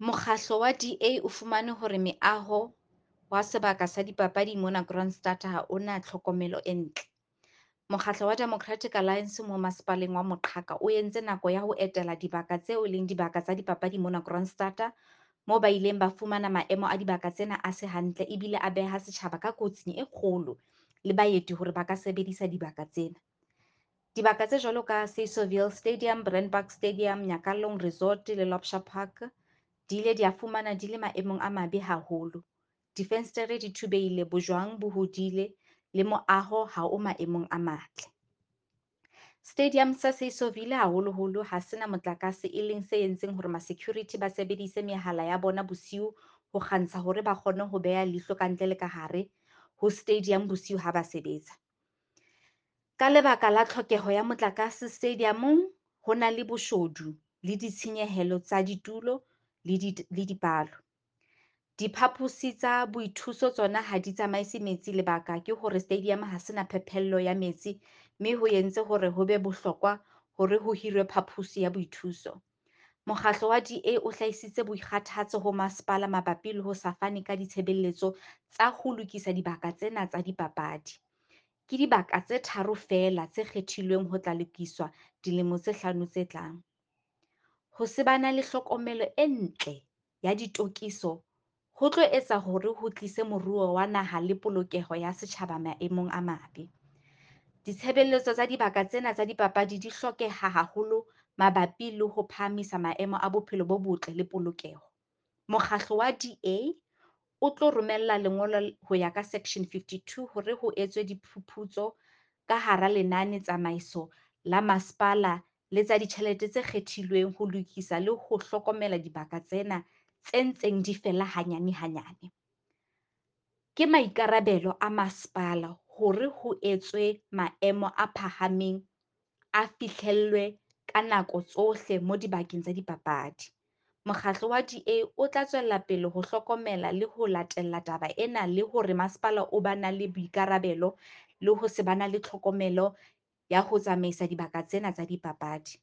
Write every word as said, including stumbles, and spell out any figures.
Mokgahlo wa D_A o fumane hore meaho wa sebaka sa dipapadi mona Kroonstad ha ona tlhokomelo e ntle. Mokgahlo wa Democratic Alliance mo masepaleng wa Moqhaka o entse nako ya ho etela dibaka tseo e leng dibaka tsa dipapadi mona Kroonstad-a, moo ba ileng ba fumana maemo a dibaka tsena a se hantle ebile a beha setjhaba ka kotsing e kgolo le baeti hore ba ka sebedisa dibaka tsena. Dibaka tse jwalo ka Stadium, Brandpark Stadium, Nyakallong Resort le Lopsha Park di ile dia fumana di le maemong a mabe haholo. Difenstere di thubehile, bojwang bo hodile le moaho ha o maemong a matle. Stadium sa Saysoville haholoholo ha se na motlakase, e leng se entseng hore ma-security ba sebedise mehala ya bona bosiu ho kgantsha hore ba kgone ho beha leihlo ka ntle le ka hare ho stadium bosiu ha ba sebetsa. Ka lebaka la tlhokeho ya motlakase stadium-ong, ho na le boshodu le ditshenyehelo tsa ditulo le di le dipalo. Diphaposi tsa boithuso tsona ha di tsamaise metsi lebaka ke hore stadium ha se na phephello ya metsi, mme ho entse hore ho be bohlokwa hore ho hirwe phaphusi ya boithuso. Mokgahlo wa D_A o hlahisitse boikgathatso ho masepala mabapi le ho sa fane ka ditshebeletso tsa ho lokisa dibaka tsena tsa dipapadi. Ke dibaka tse tharo feela tse kgethilweng ho tla lokiswa dilemo tse hlano tse tlang. Ho se bana le hlokomelo e ntle ya ditokiso ho tlo etsa hore ho tlise moruo wa naha le polokeho ya setjhaba maemong a mabe. Ditshebeletso tsa dibaka tsena tsa dipapadi di hlokeha haholo mabapi le ho phahamisa maemo a bophelo bo botle le polokeho. Mokgahlo wa D_A o tlo romella lengolo ho ya ka section fifty-two hore ho etswe diphuputso ka hara lenane tsamaiso la masepala le tsa ditjhelete tse kgethilweng ho lokisa le ho hlokomela dibaka tsena tse ntseng di fela hanyane hanyane. Ke maikarabelo a masepala hore ho etswe maemo a phahameng a fihlellwe ka nako tsohle mo dibakeng tsa dipapadi. Mokgahlo wa D_A o tla tswella pele ho hlokomela le ho latella taba ena le hore masepala o ba na le boikarabelo le ho se ba na le tlhokomelo ya ho tsamaisa dibaka tsena tsa dipapadi.